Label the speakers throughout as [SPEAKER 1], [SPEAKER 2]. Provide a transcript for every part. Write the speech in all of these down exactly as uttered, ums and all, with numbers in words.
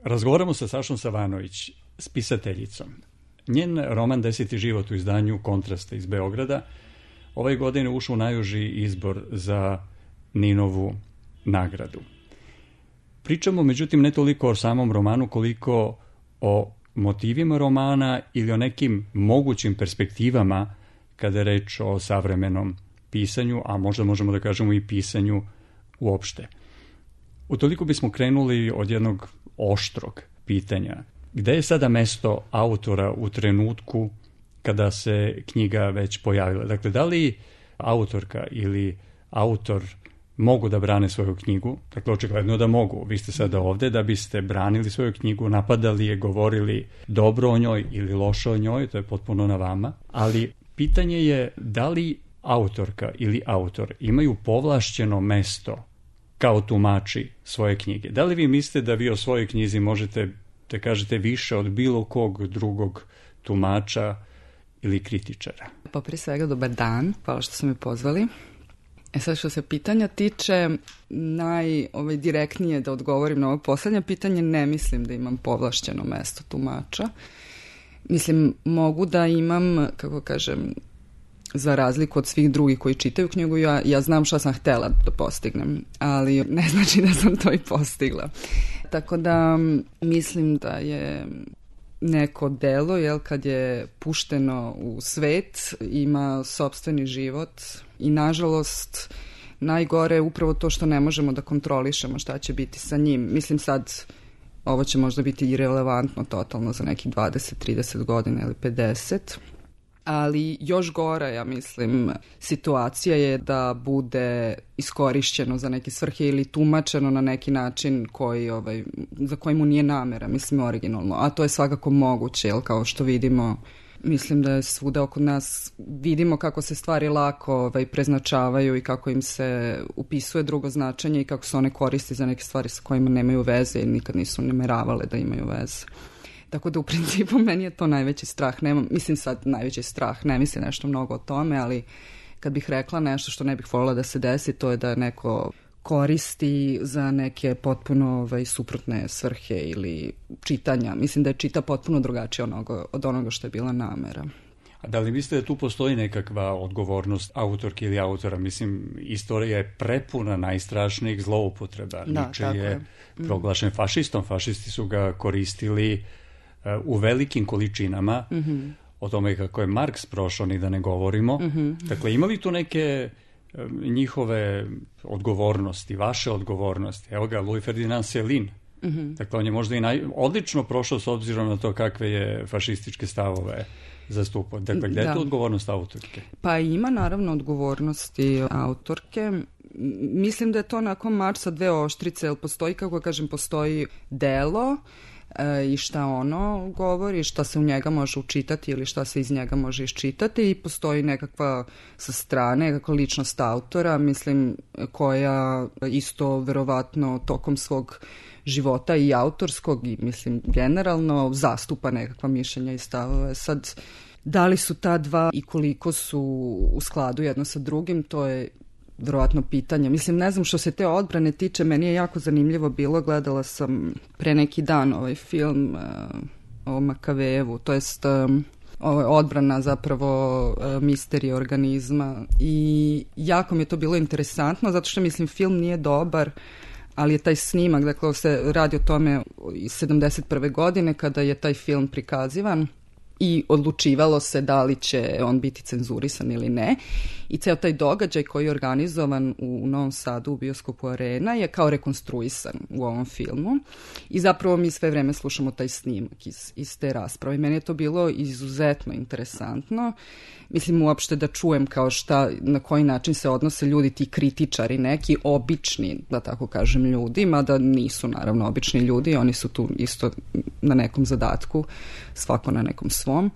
[SPEAKER 1] Razgovaramo sa Sašom Savanović, spisateljicom. Njen roman Deseti život u izdanju Kontrasta iz Beograda ove godine ušao u najuži izbor za Ninovu nagradu. Pričamo, međutim, ne toliko o samom romanu koliko o motivima romana ili o nekim mogućim perspektivama kada je reč o savremenom pisanju, a možda možemo da kažemo i pisanju uopšte. Utoliko bismo krenuli od jednog oštrog pitanja. Gde je sada mesto autora u trenutku kada se knjiga već pojavila? Dakle, da li autorka ili autor mogu da brane svoju knjigu? Dakle, očigledno da mogu. Vi ste sada ovde da biste branili svoju knjigu, napadali je, govorili dobro o njoj ili loše o njoj, to je potpuno na vama. Ali pitanje je da li autorka ili autor imaju povlašćeno mesto kao tumači svoje knjige. Da li vi mislite da vi o svojoj knjizi možete da kažete više od bilo kog drugog tumača ili kritičara?
[SPEAKER 2] Pa prije svega dobar dan, hvala što ste me pozvali. E sad što se pitanja tiče, najdirektnije da odgovorim na ovo poslednje pitanje, ne mislim da imam povlašćeno mesto tumača. Mislim, mogu da imam, kako kažem, za razliku od svih drugih koji čitaju knjigu, ja, ja znam šta sam htela da postignem, ali ne znači da sam to i postigla. Tako da mislim da je neko delo, jel, kad je pušteno u svet, ima sopstveni život i nažalost najgore je upravo to što ne možemo da kontrolišemo šta će biti sa njim. Mislim sad, ovo će možda biti irelevantno totalno za nekih dvadeset trideset godina ili pedeset, ali još gora, ja mislim, situacija je da bude iskorišćeno za neke svrhe ili tumačeno na neki način koji, ovaj, za koji mu nije namera, mislim, originalno. A to je svakako moguće, jel, kao što vidimo, mislim da je svuda oko nas, vidimo kako se stvari lako ovaj, preznačavaju i kako im se upisuje drugo značenje i kako se one koristi za neke stvari sa kojima nemaju veze i nikad nisu nameravale da imaju veze. Tako da u principu meni je to najveći strah. Nemam, mislim sad najveći strah, ne mislim nešto mnogo o tome, ali kad bih rekla nešto što ne bih voljela da se desi, to je da neko koristi za neke potpuno ovaj, suprotne svrhe ili čitanja. Mislim da je čita potpuno drugačije onoga, od onoga što je bila namera.
[SPEAKER 1] A da li mislite da tu postoji nekakva odgovornost autorke ili autora? Mislim, istorija je prepuna najstrašnijih zloupotreba.
[SPEAKER 2] Da,
[SPEAKER 1] Nietzsche
[SPEAKER 2] tako
[SPEAKER 1] je,
[SPEAKER 2] je
[SPEAKER 1] proglašen fašistom. Fašisti su ga koristili u velikim količinama. Mm-hmm. O tome kako je Marks prošao, ni da ne govorimo. Mm-hmm. Dakle, ima li tu neke njihove odgovornosti, vaše odgovornosti? Evo ga, Louis Ferdinand Céline. Mm-hmm. Dakle, on je možda i naj... odlično prošao s obzirom na to kakve je fašističke stavove zastupao. Dakle, gde da. je tu odgovornost autorke?
[SPEAKER 2] Pa ima naravno odgovornosti autorke. Mislim da je to onako mač sa dve oštrice, jer postoji, kako kažem, postoji delo i šta ono govori, šta se u njega može učitati ili šta se iz njega može iščitati i postoji nekakva sa strane, nekakva ličnost autora, mislim, koja isto verovatno tokom svog života i autorskog i mislim generalno zastupa nekakva mišljenja i stavove. Sad, da li su ta dva i koliko su u skladu jedno sa drugim, to je verovatno pitanje. Mislim, ne znam, što se te odbrane tiče, meni je jako zanimljivo bilo, gledala sam pre neki dan ovaj film uh, o Makavejevu, to jest um, ovaj, odbrana zapravo uh, misterije organizma i jako mi je to bilo interesantno, zato što mislim film nije dobar, ali je taj snimak, dakle se radi o tome iz sedamdeset prve godine kada je taj film prikazivan i odlučivalo se da li će on biti cenzurisan ili ne. I ceo taj događaj koji je organizovan u Novom Sadu u bioskopu Arena je kao rekonstruisan u ovom filmu. I zapravo mi sve vreme slušamo taj snimak iz, iz te rasprave. Meni je to bilo izuzetno interesantno. Mislim uopšte da čujem kao šta, na koji način se odnose ljudi, ti kritičari, neki obični, da tako kažem, ljudi, mada nisu naravno obični ljudi, oni su tu isto na nekom zadatku, svako na nekom svom.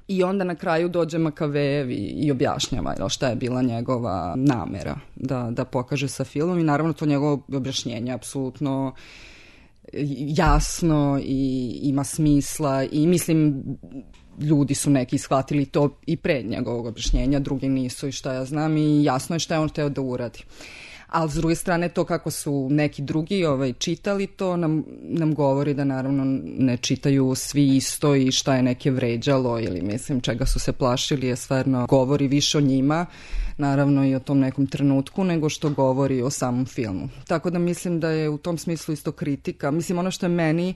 [SPEAKER 2] I onda na kraju dođe Makavejev i, i objašnjava šta je bila njegova namera da, da pokaže sa filmom i naravno to njegovo objašnjenje apsolutno jasno i ima smisla i mislim ljudi su neki shvatili to i pre njegovog objašnjenja, drugi nisu i šta ja znam i jasno je šta je on hteo da uradi. Ali s druge strane to kako su neki drugi ovaj, čitali to nam, nam govori da naravno ne čitaju svi isto i šta je neke vređalo ili mislim čega su se plašili je stvarno govori više o njima, naravno i o tom nekom trenutku nego što govori o samom filmu. Tako da mislim da je u tom smislu isto kritika. Mislim ono što je meni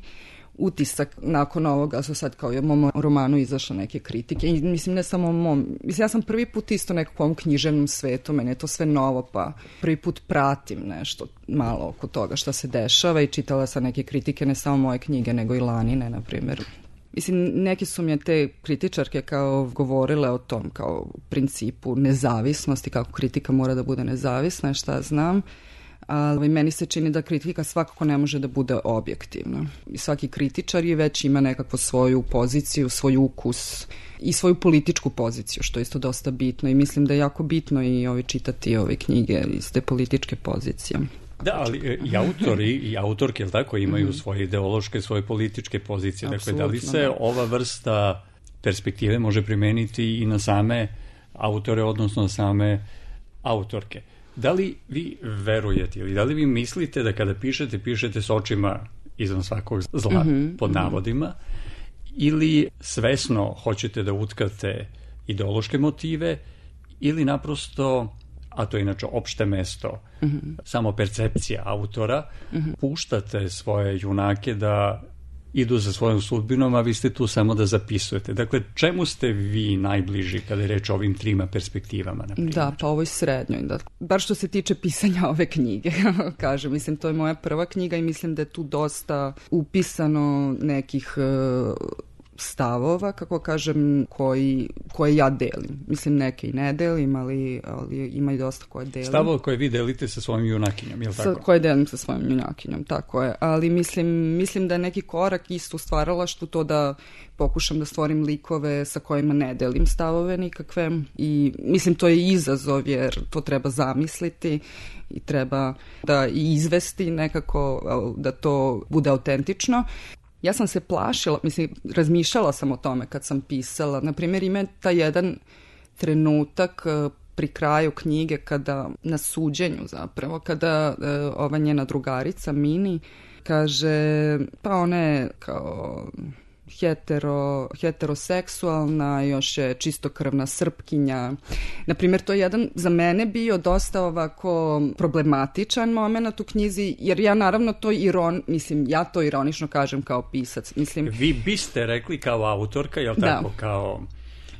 [SPEAKER 2] utisak nakon ovoga su sad kao i u mom romanu izašle neke kritike i mislim ne samo u mom, mislim ja sam prvi put isto nekakvom književnom svetu, meni je to sve novo pa prvi put pratim nešto malo oko toga šta se dešava i čitala sam neke kritike ne samo moje knjige nego i Lanine na primjer. Mislim, neke su mi te kritičarke kao govorile o tom kao principu nezavisnosti, kako kritika mora da bude nezavisna, šta znam. Ali meni se čini da kritika svakako ne može da bude objektivna. I svaki kritičar je već ima nekakvu svoju poziciju, svoj ukus i svoju političku poziciju, što je isto dosta bitno i mislim da je jako bitno i ovi čitati ove knjige iz te političke pozicije.
[SPEAKER 1] Da, ali i autori i autorke, jel tako, imaju mm. svoje ideološke, svoje političke pozicije. Apsolutno, dakle, da li se da. ova vrsta perspektive može primeniti i na same autore, odnosno na same autorke? Da li vi verujete ili da li vi mislite da kada pišete, pišete s očima izvan svakog zla, mm-hmm, pod navodima, mm-hmm. ili svesno hoćete da utkate ideološke motive ili naprosto, a to je inače opšte mesto, mm-hmm. samo percepcija autora, mm-hmm. puštate svoje junake da idu za svojom sudbinom, a vi ste tu samo da zapisujete. Dakle, čemu ste vi najbliži kada je reč o ovim trima perspektivama? Na primjer?
[SPEAKER 2] Da, pa ovoj srednjoj. Da. Bar što se tiče pisanja ove knjige, kažem. Mislim, to je moja prva knjiga i mislim da je tu dosta upisano nekih uh, stavova, kako kažem, koji, koje ja delim. Mislim, neke i ne delim, ali, ali ima i dosta koje delim.
[SPEAKER 1] Stavove koje vi delite sa svojim junakinjom, je li tako?
[SPEAKER 2] Sa, koje delim sa svojim junakinjom, tako je. Ali mislim, mislim da je neki korak isto u stvaralaštvu to da pokušam da stvorim likove sa kojima ne delim stavove nikakve i mislim to je izazov jer to treba zamisliti i treba da i izvesti nekako da to bude autentično. Ja sam se plašila, mislim, razmišljala sam o tome kad sam pisala. Naprimjer, ima taj jedan trenutak pri kraju knjige kada, na suđenju zapravo, kada ova njena drugarica Mini kaže, pa ona je kao hetero, heteroseksualna, još je čistokrvna Srpkinja. Naprimjer, to je jedan za mene bio dosta ovako problematičan moment u knjizi, jer ja naravno to iron, mislim, ja to ironično kažem kao pisac. Mislim,
[SPEAKER 1] vi biste rekli kao autorka, jel tako, da. kao...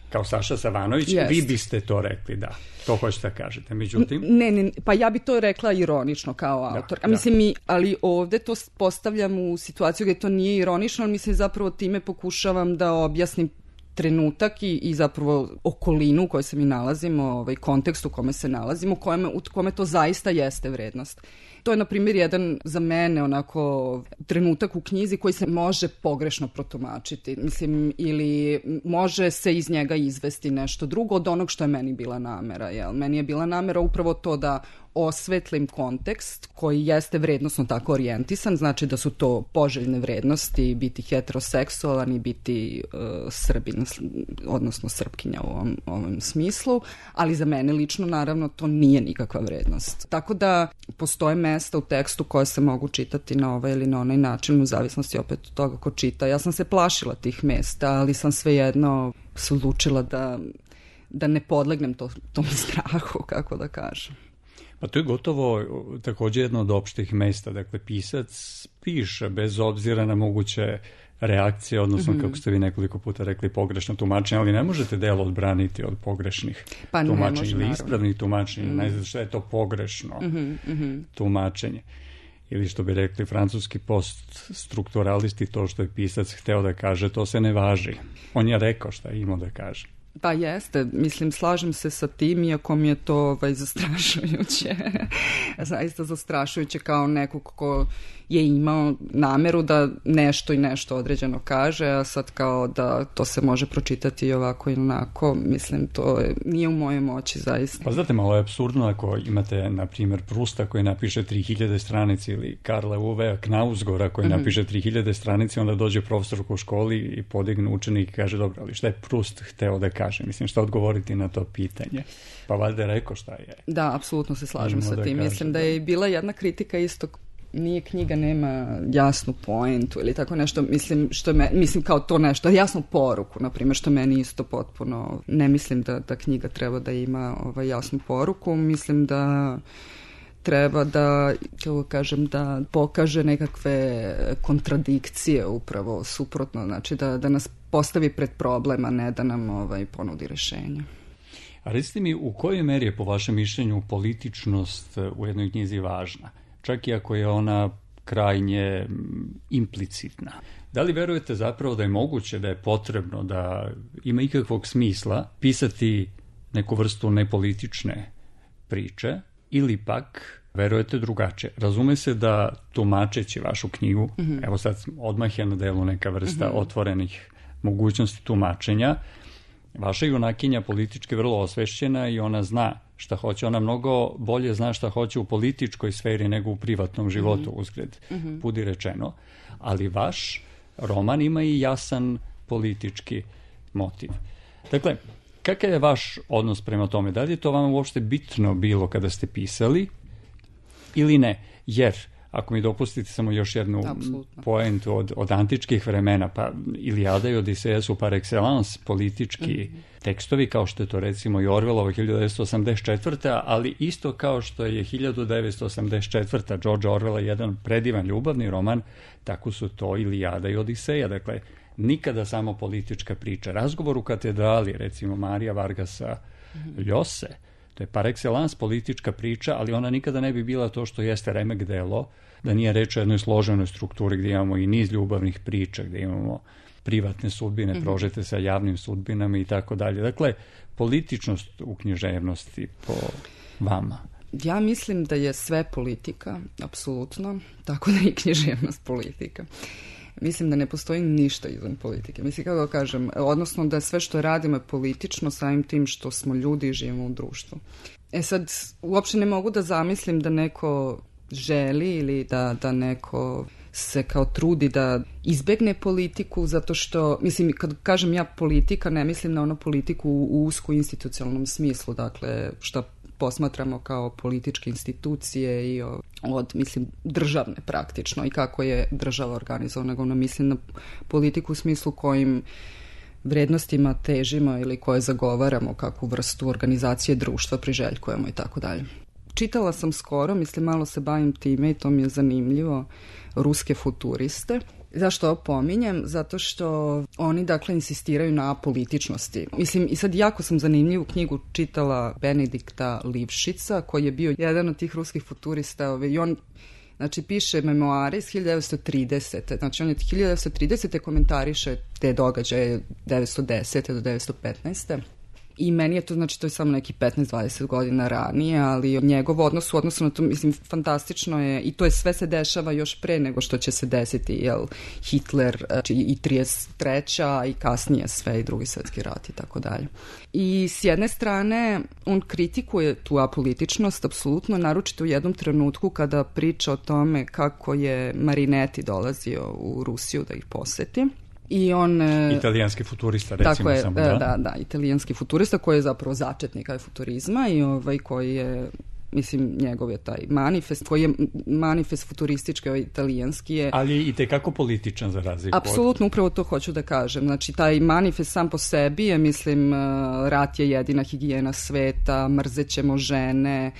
[SPEAKER 1] kao Saša Savanović, yes. Vi biste to rekli, da. To hoćete da kažete. Međutim...
[SPEAKER 2] Ne, ne, pa ja bi to rekla ironično kao autor. Da, a mislim, da. mi, ali ovde to postavljam u situaciju gde to nije ironično, ali mislim zapravo time pokušavam da objasnim trenutak i, i zapravo okolinu u kojoj se mi nalazimo, ovaj kontekst u kome se nalazimo, u kome, u kome to zaista jeste vrednost. To je, na primjer, jedan za mene onako trenutak u knjizi koji se može pogrešno protumačiti. Mislim, ili može se iz njega izvesti nešto drugo od onog što je meni bila namera. Jel? Meni je bila namera upravo to da osvetlim kontekst koji jeste vrednostno tako orijentisan, znači da su to poželjne vrednosti, biti heteroseksualan i biti uh, Srbin, odnosno Srpkinja u ovom, ovom smislu, ali za mene lično naravno to nije nikakva vrednost. Tako da postoje mesta u tekstu koje se mogu čitati na ovaj ili na onaj način, u zavisnosti opet od toga ko čita. Ja sam se plašila tih mesta, ali sam svejedno se odlučila da, da ne podlegnem to, tom strahu, kako da kažem.
[SPEAKER 1] Pa to je gotovo također jedno od opštih mesta. Dakle, pisac piše bez obzira na moguće reakcije, odnosno, mm-hmm. kako ste vi nekoliko puta rekli, pogrešno tumačenje, ali ne možete delo odbraniti od pogrešnih
[SPEAKER 2] pa
[SPEAKER 1] tumačenja ili ispravnih tumačenja. Mm-hmm. Ne znam što je to pogrešno mm-hmm. tumačenje. Ili što bi rekli francuski poststrukturalisti, to što je pisac hteo da kaže, to se ne važi. On je rekao šta je imao da kaže.
[SPEAKER 2] Pa jeste, mislim, slažem se sa tim, iako mi je to ovaj, zastrašujuće. Zaista zastrašujuće kao neko ko je imao nameru da nešto i nešto određeno kaže, a sad kao da to se može pročitati i ovako i onako, mislim, to je, nije u mojoj moći zaista.
[SPEAKER 1] Pa znate, malo je apsurdno ako imate, na primjer, Prusta koji napiše tri hiljade stranici ili Karla Uvea Knausgora koji mm-hmm. napiše tri hiljade stranici, onda dođe profesor u školi i podigne učenik i kaže, dobro, ali šta je Prust hteo da kaže? Mislim, šta odgovoriti na to pitanje? Pa valjda je rekao šta je.
[SPEAKER 2] Da, apsolutno se slažem sa tim.
[SPEAKER 1] Kaže,
[SPEAKER 2] mislim da je bila jedna kritika isto, nije knjiga, nema jasnu poentu ili tako nešto, mislim, što me, mislim kao to nešto, jasnu poruku, na primjer, što meni isto potpuno, ne mislim da, da knjiga treba da ima ovaj, jasnu poruku, mislim da treba da, kako kažem, da pokaže nekakve kontradikcije upravo suprotno, znači da, da nas postavi pred problem, a ne da nam ovaj, ponudi rešenje.
[SPEAKER 1] A recite mi, u kojoj meri je po vašem mišljenju političnost u jednoj knjizi važna? Čak i ako je ona krajnje implicitna. Da li verujete zapravo da je moguće, da je potrebno, da ima ikakvog smisla pisati neku vrstu nepolitične priče ili pak verujete drugačije? Razume se da tumačeći vašu knjigu, mm-hmm. evo sad odmah je na delu neka vrsta mm-hmm. otvorenih mogućnosti tumačenja, vaša junakinja politički vrlo osvešćena i ona zna šta hoće. Ona mnogo bolje zna šta hoće u političkoj sferi nego u privatnom životu, mm-hmm. uzgred mm-hmm. budi rečeno. Ali vaš roman ima i jasan politički motiv. Dakle, kakav je vaš odnos prema tome? Da li je to vama uopšte bitno bilo kada ste pisali ili ne? Jer, ako mi dopustite samo još jednu Absolutno. poentu od, od antičkih vremena, pa Ilijada i Odiseja su par excellence politički mm-hmm. tekstovi, kao što je to recimo i Orwellova hiljadu devetsto osamdeset četvrta, ali isto kao što je hiljadu devetsto osamdeset četvrta George Orwella jedan predivan ljubavni roman, tako su to Ilijada i Odiseja. Dakle, nikada samo politička priča. Razgovor u katedrali, recimo Marija Vargasa mm-hmm. Ljose, to je par excellence politička priča, ali ona nikada ne bi bila to što jeste remek delo, da nije reč o jednoj složenoj strukturi gdje imamo i niz ljubavnih priča, gdje imamo privatne sudbine, mm-hmm. prožete sa javnim sudbinama i tako dalje. Dakle, političnost u književnosti po vama.
[SPEAKER 2] Ja mislim da je sve politika, apsolutno, tako da je i književnost politika. Mislim da ne postoji ništa izvan politike. Mislim, kako kažem, odnosno da sve što radimo je politično samim tim što smo ljudi i živimo u društvu. E sad, uopšte ne mogu da zamislim da neko želi ili da, da neko se kao trudi da izbegne politiku, zato što, mislim, kad kažem ja politika, ne mislim na ono politiku u usko institucionalnom smislu, dakle, što posmatramo kao političke institucije i od, mislim, državne praktično i kako je država organizovana, nego ono mislim na politiku u smislu kojim vrednostima težimo ili koje zagovaramo, kakvu vrstu organizacije društva priželjkujemo i tako dalje. Čitala sam skoro, mislim, malo se bavim time i to mi je zanimljivo, ruske futuriste. Zašto ovo pominjem? Zato što oni, dakle, insistiraju na političnosti. Mislim, i sad jako sam zanimljivu knjigu čitala Benedikta Livšica, koji je bio jedan od tih ruskih futurista, i on, znači, piše memoare iz hiljadu devetsto tridesete. Znači, on je hiljadu devetsto tridesete komentariše te događaje devetsto desete do devetsto petnaeste. I meni je to, znači, to je samo neki petnaest dvadeset godina ranije, ali njegov odnos u odnosu na to, mislim, fantastično je, i to je sve se dešava još pre nego što će se desiti, jel, Hitler i trideset treća i kasnije sve i drugi svjetski rat i tako dalje. I s jedne strane, on kritikuje tu apolitičnost, apsolutno, naročito u jednom trenutku kada priča o tome kako je Marinetti dolazio u Rusiju da ih poseti. I on,
[SPEAKER 1] italijanski futurista, recimo.
[SPEAKER 2] Tako je,
[SPEAKER 1] samo,
[SPEAKER 2] da, da, da, italijanski futurista koji je zapravo začetnik futurizma i ovaj koji je, mislim, njegov je taj manifest, koji je manifest futuristički, ovaj italijanski je...
[SPEAKER 1] Ali je i tekako političan za razliku.
[SPEAKER 2] Apsolutno, upravo to hoću da kažem. Znači, taj manifest sam po sebi je, mislim, rat je jedina higijena sveta, mrzećemo žene,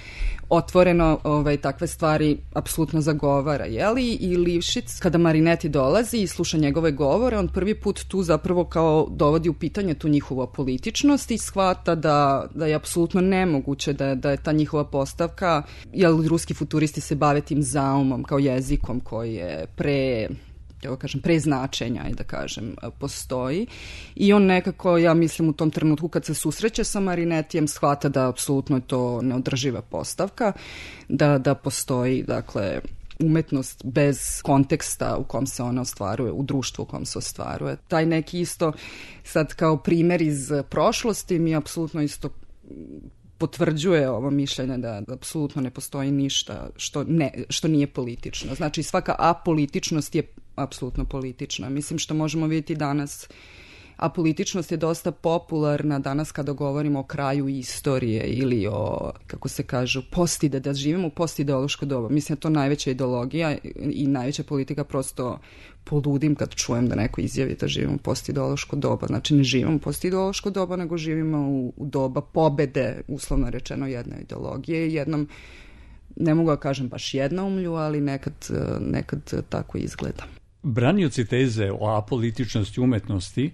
[SPEAKER 2] otvoreno ovaj, takve stvari apsolutno zagovara, jeli? I Livšic, kada Marinetti dolazi i sluša njegove govore, on prvi put tu zapravo kao dovodi u pitanje tu njihovu apolitičnost i shvata da, da je apsolutno nemoguće da, da je ta njihova postavka, jer ruski futuristi se bave tim zaumom kao jezikom koji je pre... ja kažem, pre značenja i da kažem, postoji. I on nekako, ja mislim, u tom trenutku kad se susreće sa Marinettijem, shvata da apsolutno je to neodrživa postavka, da, da postoji, dakle, umetnost bez konteksta u kom se ona ostvaruje, u društvu u kom se ostvaruje. Taj neki isto, sad kao primer iz prošlosti, mi apsolutno isto potvrđuje ovo mišljenje da apsolutno ne postoji ništa što, ne, što nije politično. Znači svaka apolitičnost je apsolutno politična. Mislim što možemo vidjeti danas, apolitičnost je dosta popularna danas kada govorimo o kraju istorije ili o, kako se kažu, postide, da živimo u postideološko doba. Mislim da je to najveća ideologija i najveća politika, prosto poludim kad čujem da neko izjavi da živimo u postideološko doba. Znači ne živimo u postideološko doba, nego živimo u, u doba pobede, uslovno rečeno, jedne ideologije i jednom, ne mogu da kažem baš jednoumlju, ali nekad, nekad tako izgleda.
[SPEAKER 1] Branioci teze o apolitičnosti umetnosti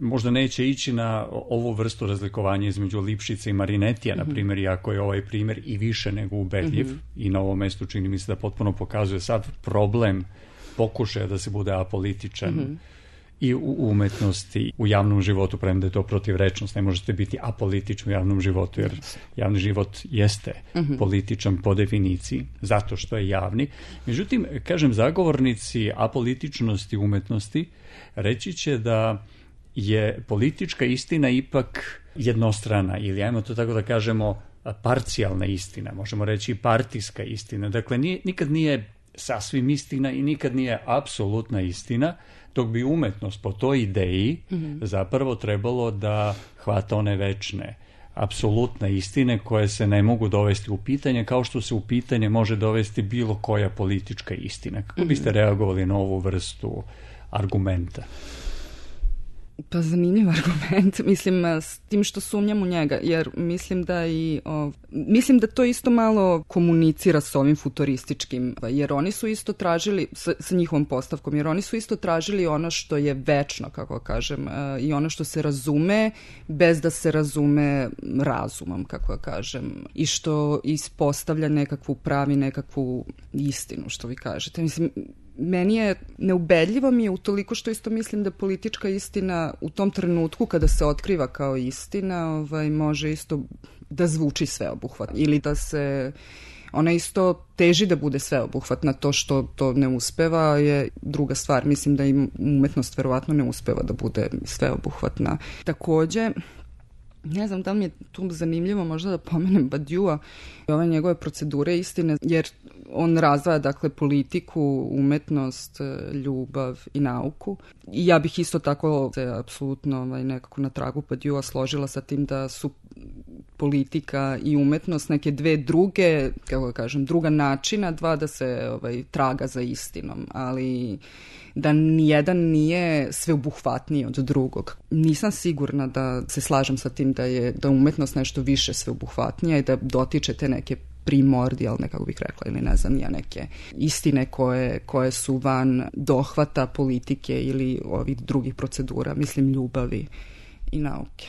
[SPEAKER 1] možda neće ići na ovu vrstu razlikovanja između Lipšica i Marinetija, mm-hmm. na primjer, iako je ovaj primjer i više nego ubedljiv, mm-hmm. i na ovom mestu čini mi se da potpuno pokazuje sad problem pokušaja da se bude apolitičan mm-hmm. i u umetnosti, u javnom životu, premda je to protivrečnost, ne možete biti apolitični u javnom životu, jer javni život jeste mm-hmm. političan po definiciji, zato što je javni. Međutim, kažem, zagovornici apolitičnosti umetnosti reći će da je politička istina ipak jednostrana, ili ajmo to tako da kažemo parcijalna istina, možemo reći partijska istina. Dakle, nije, nikad nije sasvim istina i nikad nije apsolutna istina, dok bi umetnost po toj ideji mm-hmm. zapravo trebalo da hvata one večne, apsolutne istine koje se ne mogu dovesti u pitanje, kao što se u pitanje može dovesti bilo koja politička istina. Kako biste mm-hmm. reagovali na ovu vrstu argumenta?
[SPEAKER 2] Pa zanimljiv argument, mislim, s tim što sumnjam u njega, jer mislim da i o, mislim da to isto malo komunicira s ovim futurističkim, jer oni su isto tražili, sa, sa njihovom postavkom, jer oni su isto tražili ono što je večno, kako kažem, i ono što se razume bez da se razume razumom, kako kažem, i što ispostavlja nekakvu pravi, nekakvu istinu, što vi kažete. Mislim, meni je neubedljivo mi je utoliko što isto mislim da politička istina u tom trenutku kada se otkriva kao istina, ovaj, može isto da zvuči sveobuhvatno ili da se ona isto teži da bude sveobuhvatna. To što to ne uspeva je druga stvar. Mislim da i umetnost verovatno ne uspeva da bude sveobuhvatna. Takođe, ne znam da li mi je tu zanimljivo možda da pomenem Badiua i ove njegove procedure istine, jer on razdvaja, dakle, politiku, umetnost, ljubav i nauku. I ja bih isto tako se apsolutno ovaj, nekako na tragu Badiua složila sa tim da su politika i umetnost neke dve druge, kako da kažem, druga načina, dva da se ovaj, traga za istinom, ali da nijedan nije sveobuhvatniji od drugog. Nisam sigurna da se slažem sa tim da je da umetnost nešto više sveobuhvatnija i da dotiče te neke primordijalne, kako bih rekla, ili ne znam, ja neke istine koje, koje su van dohvata politike ili ovih drugih procedura, mislim ljubavi i nauke.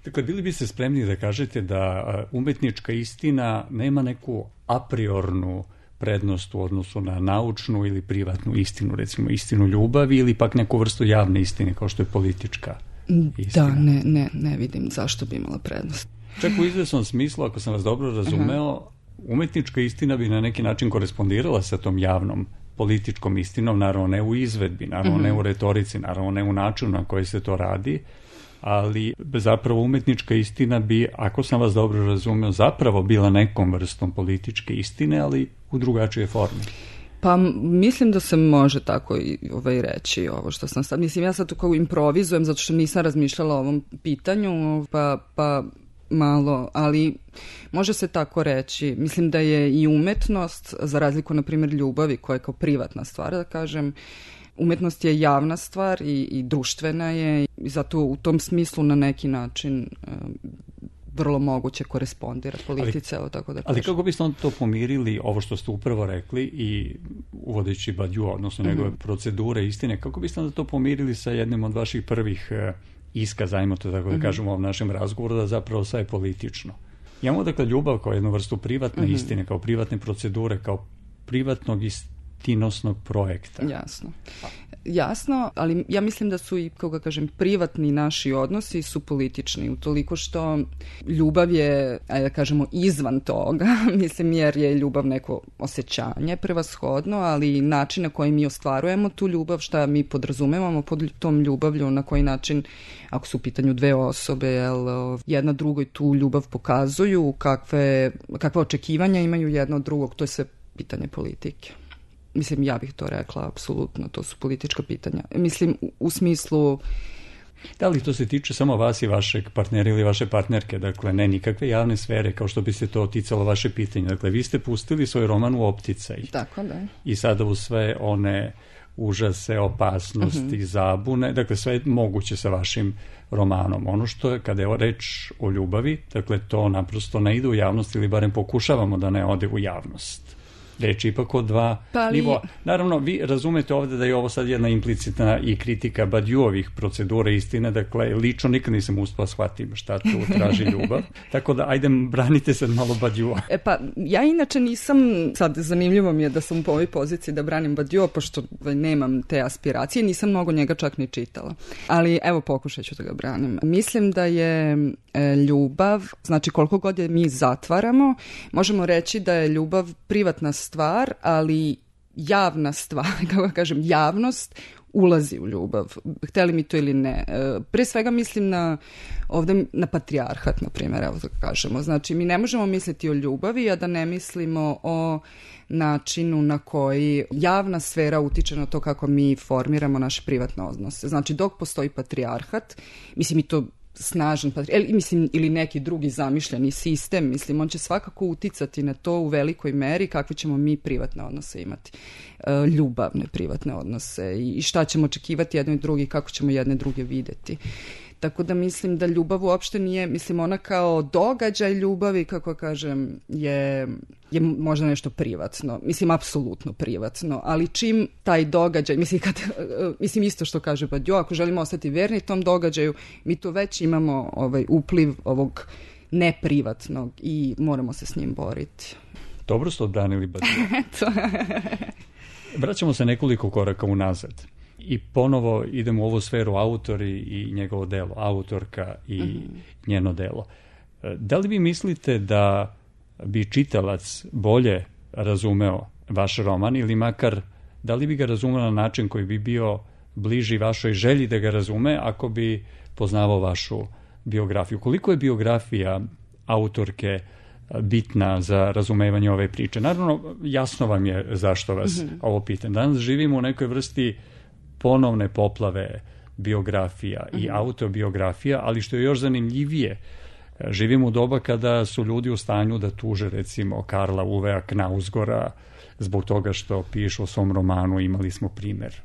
[SPEAKER 1] Dakle, bili bi se spremni da kažete da umetnička istina nema neku apriornu prednost u odnosu na naučnu ili privatnu istinu, recimo istinu ljubavi ili pak neku vrstu javne istine kao što je politička istina?
[SPEAKER 2] Da, ne, ne, ne vidim zašto bi imala prednost.
[SPEAKER 1] Čak u izvesnom smislu, ako sam vas dobro razumeo, uh-huh. umetnička istina bi na neki način korespondirala sa tom javnom političkom istinom, naravno ne u izvedbi, naravno uh-huh. ne u retorici, naravno ne u načinu na koji se to radi, ali zapravo umetnička istina bi, ako sam vas dobro razumeo, zapravo bila nekom vrstom političke istine, ali u drugačije forme.
[SPEAKER 2] Pa mislim da se može tako i ovaj reći ovo što sam sad. Mislim, ja sad kao improvizujem zato što nisam razmišljala o ovom pitanju, pa, pa malo, ali može se tako reći. Mislim da je i umetnost, za razliku na primjer ljubavi koja je kao privatna stvar, da kažem, umetnost je javna stvar i, i društvena je i zato u tom smislu na neki način uh, vrlo moguće korespondira politici, evo tako da kažem. Ali
[SPEAKER 1] kako biste onda to pomirili, ovo što ste upravo rekli i uvodeći Badiou, odnosno njegove mm-hmm. procedure istine, kako biste onda to pomirili sa jednim od vaših prvih uh, iskaza, ajmo to tako da kažemo u ovom našem razgovoru, da zapravo sve je politično? Imamo dakle ljubav kao jednu vrstu privatne mm-hmm. istine, kao privatne procedure, kao privatnog istinosnog projekta.
[SPEAKER 2] Jasno. jasno, ali ja mislim da su i, kako ga kažem, privatni naši odnosi su politični, utoliko što ljubav je, ajde da kažemo, izvan toga, mislim, jer je ljubav neko osjećanje prevashodno, ali način na koji mi ostvarujemo tu ljubav, šta mi podrazumevamo pod tom ljubavlju, na koji način, ako su u pitanju dve osobe, jel, jedna drugoj tu ljubav pokazuju, kakve, kakve očekivanja imaju jedna od drugog, to je sve pitanje politike. Mislim, ja bih to rekla, apsolutno, to su politička pitanja. Mislim, u, u smislu...
[SPEAKER 1] Da li to se tiče samo vas i vašeg partnera ili vaše partnerke, dakle, ne nikakve javne sfere, kao što bi se to ticalo vaše pitanje. Dakle, vi ste pustili svoj roman u opticaj.
[SPEAKER 2] Tako, da.
[SPEAKER 1] I sada u sve one užase, opasnosti, uh-huh. zabune, dakle, sve je moguće sa vašim romanom. Ono što je, kada je reč o ljubavi, dakle, to naprosto ne ide u javnost ili barem pokušavamo da ne ode u javnost. Reč ipak o dva pa li... nivoa. Naravno, vi razumete ovde da je ovo sad jedna implicitna i kritika Badiouovih procedura istine, dakle, lično nikad nisam uspela shvatim šta tu traži ljubav. Tako da, ajde, branite sad malo Badiouova.
[SPEAKER 2] E pa, ja inače nisam, sad zanimljivo mi je da sam u ovoj poziciji da branim Badiouova, pošto nemam te aspiracije, nisam mnogo njega čak ni čitala. Ali, evo, pokušat ću da ga branim. Mislim da je e, ljubav, znači koliko god je mi zatvaramo, možemo reći da je ljubav privatna stvar, ali javna stvar, kako kažem, javnost ulazi u ljubav, hteli mi to ili ne. Pre svega mislim na ovde na patrijarhat, na primjer, evo da kažemo. Znači, mi ne možemo misliti o ljubavi, a da ne mislimo o načinu na koji javna sfera utiče na to kako mi formiramo naše privatne odnose. Znači, dok postoji patrijarhat, mislim i to snažan patrijarhat, mislim, ili neki drugi zamišljeni sistem, mislim, on će svakako uticati na to u velikoj meri kakve ćemo mi privatne odnose imati. E, ljubavne privatne odnose i šta ćemo očekivati jedno i drugi, kako ćemo jedne druge videti. Tako da mislim da ljubav uopšte nije, mislim, ona kao događaj ljubavi, kako kažem, je, je možda nešto privatno. Mislim, apsolutno privatno. Ali čim taj događaj, mislim, kad, mislim isto što kaže Badiou, ako želimo ostati verni tom događaju, mi to već imamo ovaj upliv ovog neprivatnog i moramo se s njim boriti.
[SPEAKER 1] Dobro ste odbranili Badiou. Vraćamo se nekoliko koraka unazad. I ponovo idemo u ovu sferu autori i njegovo delo, autorka i mm-hmm. njeno delo. Da li vi mislite da bi čitalac bolje razumeo vaš roman ili makar da li bi ga razumeo na način koji bi bio bliži vašoj želji da ga razume ako bi poznavao vašu biografiju? Koliko je biografija autorke bitna za razumevanje ove priče? Naravno, jasno vam je zašto vas mm-hmm. ovo pitam. Danas živimo u nekoj vrsti ponovne poplave biografija i autobiografija, ali što je još zanimljivije, živimo u doba kada su ljudi u stanju da tuže, recimo, Karla Uvea Knausgora zbog toga što piše o svom romanu. Imali smo primer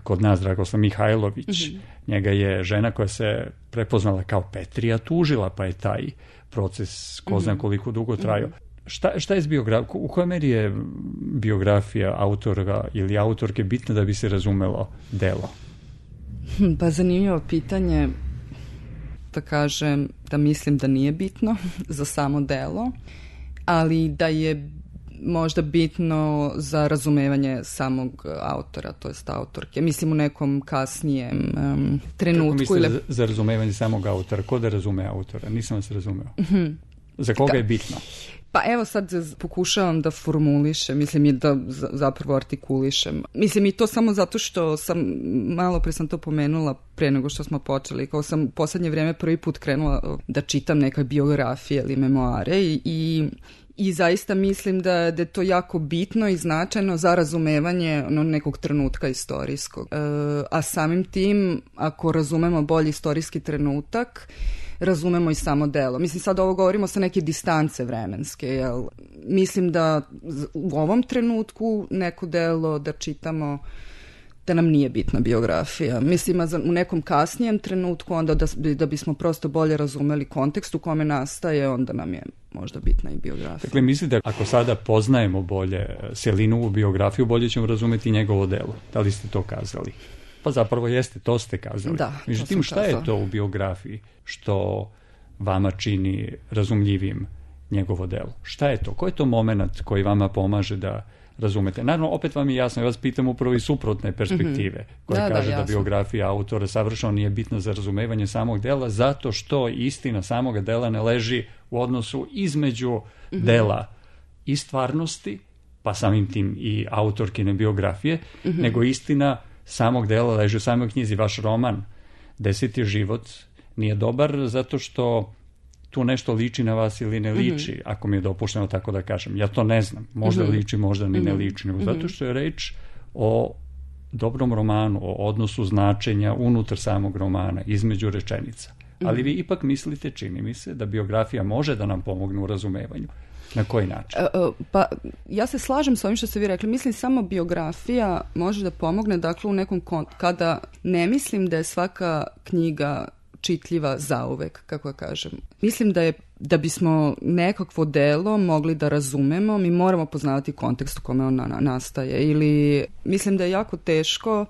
[SPEAKER 1] kod nas, Dragoslav Mihajlović. Mm-hmm. Njega je žena koja se prepoznala kao Petrija tužila, pa je taj proces ko zna koliko dugo trajao. Mm-hmm. Šta, šta je s biografijom? U kojoj meri je biografija autora ili autorke bitna da bi se razumelo delo?
[SPEAKER 2] Pa zanimljivo pitanje, da kažem da mislim da nije bitno za samo delo, ali da je možda bitno za razumevanje samog autora, to jest autorke. Mislim u nekom kasnijem um, trenutku.
[SPEAKER 1] Kako mislite ili... za razumevanje samog autora? Ko da razume autora? Nisam vas razumeo. Mm-hmm. Za koga je bitno?
[SPEAKER 2] Pa evo sad pokušavam da formulišem, mislim i da zapravo artikulišem. Mislim i to samo zato što sam, malo pre sam to pomenula pre nego što smo počeli, kao sam u poslednje vreme prvi put krenula da čitam neke biografije ili memoare i, i I zaista mislim da, da je to jako bitno i značajno za razumevanje no, nekog trenutka istorijskog. E, a samim tim, ako razumemo bolji istorijski trenutak, razumemo i samo delo. Mislim, sad ovo govorimo sa neke distance vremenske, jel? Mislim da u ovom trenutku neko delo da čitamo da nam nije bitna biografija. Mislim, u nekom kasnijem trenutku, onda da, da bismo prosto bolje razumeli kontekst u kome nastaje, onda nam je možda bitna i biografija.
[SPEAKER 1] Dakle, mislite da ako sada poznajemo bolje Selinovu biografiju, bolje ćemo razumeti njegovo delo. Da li ste to kazali? Pa zapravo jeste, to ste kazali.
[SPEAKER 2] Da,
[SPEAKER 1] međutim, šta kazala. Je to u biografiji što vama čini razumljivim njegovo delo? Šta je to? Koji je to moment koji vama pomaže da razumete. Naravno, opet vam je jasno, ja vas pitam upravo iz suprotne perspektive, mm-hmm. koja da, kaže da, da biografija autora savršeno nije bitna za razumevanje samog dela, zato što istina samog dela ne leži u odnosu između mm-hmm. dela i stvarnosti, pa samim tim i autorkine biografije, mm-hmm. nego istina samog dela leži u samoj knjizi. Vaš roman Deseti život nije dobar zato što tu nešto liči na vas ili ne liči, mm-hmm. ako mi je dopušteno tako da kažem. Ja to ne znam. Možda mm-hmm. liči, možda ni ne liči. Mm-hmm. Zato što je reč o dobrom romanu, o odnosu značenja unutar samog romana, između rečenica. Mm-hmm. Ali vi ipak mislite, čini mi se, da biografija može da nam pomogne u razumevanju. Na koji način?
[SPEAKER 2] Uh, pa, ja se slažem s ovim što ste vi rekli. Mislim, samo biografija može da pomogne, dakle, u nekom kont- kada ne mislim da je svaka knjiga čitljiva zauvek, kako ja kažem. Mislim da je, da bismo nekakvo delo mogli da razumemo, mi moramo poznavati kontekst u kome ona nastaje. Ili mislim da je jako teško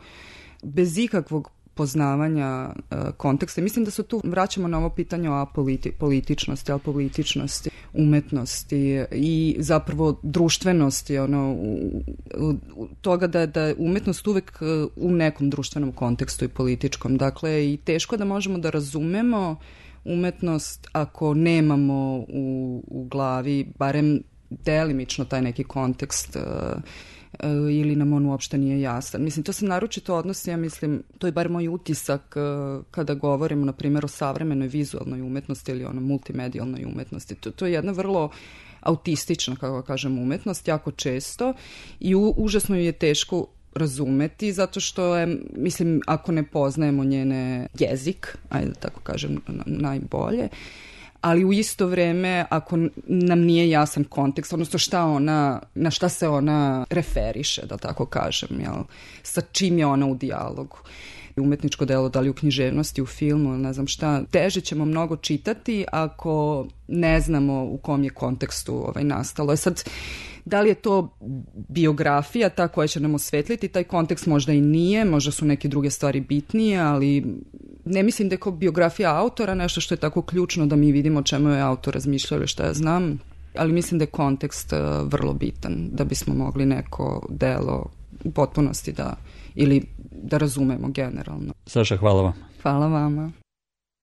[SPEAKER 2] bez ikakvog poznavanja uh, konteksta. Mislim da se tu vraćamo na ovo pitanje o apoliti, političnosti, apolitičnosti, umetnosti i zapravo društvenosti, ono, u, u, u toga da, da je umetnost uvek uh, u nekom društvenom kontekstu i političkom. Dakle, i teško da možemo da razumemo umetnost ako nemamo u, u glavi barem delimično taj neki kontekst uh, ili nam on uopšte nije jasan. Mislim, to se naročito odnosi, ja mislim, to je bar moj utisak kada govorimo, na primjer, o savremenoj vizualnoj umetnosti ili ono multimedijalnoj umetnosti. To, to je jedna vrlo autistična, kako kažem, umetnost, jako često i u, užasno je teško razumeti, zato što je, mislim, ako ne poznajemo njene jezik, ajde da tako kažem, najbolje, ali u isto vreme ako nam nije jasan kontekst, odnosno šta ona, na šta se ona referiše, da tako kažem, jel? Sa čim je ona u dijalogu. Umetničko delo, da li u književnosti, u filmu, ne znam šta, teže ćemo mnogo čitati ako ne znamo u kom je kontekstu ovaj nastalo. E sad, da li je to biografija ta koja će nam osvetliti taj kontekst, možda i nije, možda su neke druge stvari bitnije, ali ne mislim da je kao biografija autora nešto što je tako ključno da mi vidimo o čemu je autor razmišljao ili šta ja znam, ali mislim da je kontekst vrlo bitan da bismo mogli neko delo u potpunosti da, ili da razumemo generalno.
[SPEAKER 1] Saša, hvala vam.
[SPEAKER 2] Hvala vama.